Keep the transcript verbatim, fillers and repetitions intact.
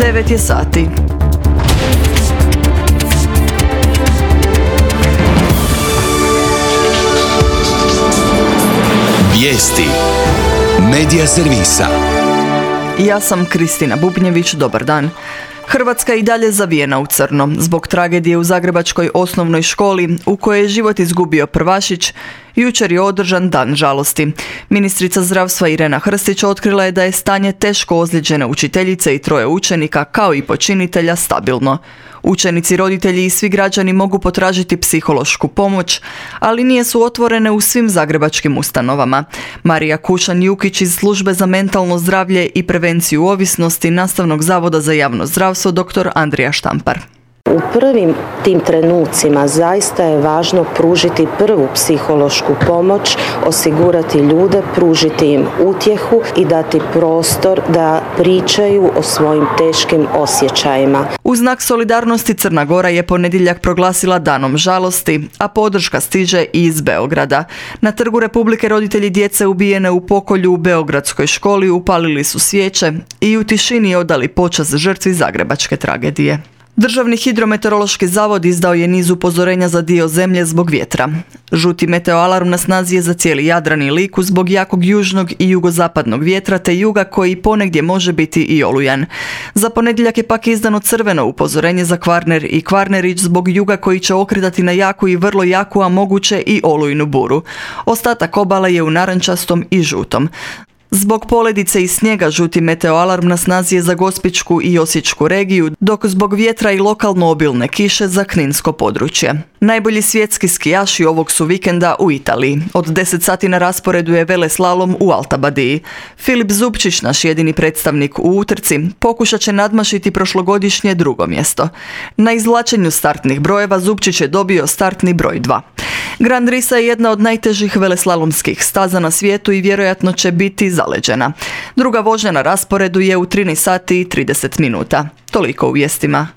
devet je sati. Vijesti Medija servisa. Ja sam Kristina Bubnjević, dobar dan. Hrvatska i dalje zavijena u crno zbog tragedije u zagrebačkoj osnovnoj školi u kojoj je život izgubio prvašić. Jučer je održan dan žalosti. Ministrica zdravstva Irena Hrstić otkrila je da je stanje teško ozlijeđene učiteljice i troje učenika kao i počinitelja stabilno. Učenici, roditelji i svi građani mogu potražiti psihološku pomoć, ali nije su otvorene u svim zagrebačkim ustanovama. Marija Kušan-Jukić iz Službe za mentalno zdravlje i prevenciju ovisnosti Nastavnog zavoda za javno zdravstvo dr. Andrija Štampar. U prvim tim trenucima zaista je važno pružiti prvu psihološku pomoć, osigurati ljude, pružiti im utjehu i dati prostor da pričaju o svojim teškim osjećajima. U znak solidarnosti Crna Gora je ponedjeljak proglasila danom žalosti, a podrška stiže i iz Beograda. Na Trgu Republike roditelji djece ubijene u pokolju u beogradskoj školi upalili su svijeće i u tišini odali počast žrtvi zagrebačke tragedije. Državni hidrometeorološki zavod izdao je niz upozorenja za dio zemlje zbog vjetra. Žuti meteoalarm na snazi je za cijeli Jadran i Liku zbog jakog južnog i jugozapadnog vjetra te juga koji ponegdje može biti i olujan. Za ponedjeljak je pak izdano crveno upozorenje za Kvarner i Kvarnerić zbog juga koji će okretati na jaku i vrlo jaku, a moguće i olujnu buru. Ostatak obale je u narančastom i žutom. Zbog poledice i snijega žuti meteoalarm na snazi je za Gospićku i Osječku regiju, dok zbog vjetra i lokalno obilne kiše za kninsko područje. Najbolji svjetski skijaši ovog su vikenda u Italiji. Od deset sati na rasporedu je veleslalom u Alta Badiji. Filip Zupčić, naš jedini predstavnik u utrci, pokušat će nadmašiti prošlogodišnje drugo mjesto. Na izvlačenju startnih brojeva Zupčić je dobio startni broj dva. Grand Risa je jedna od najtežih veleslalomskih staza na svijetu i vjerojatno će biti zaleđena. Druga vožnja na rasporedu je u trinaest sati i trideset minuta. Toliko u vijestima.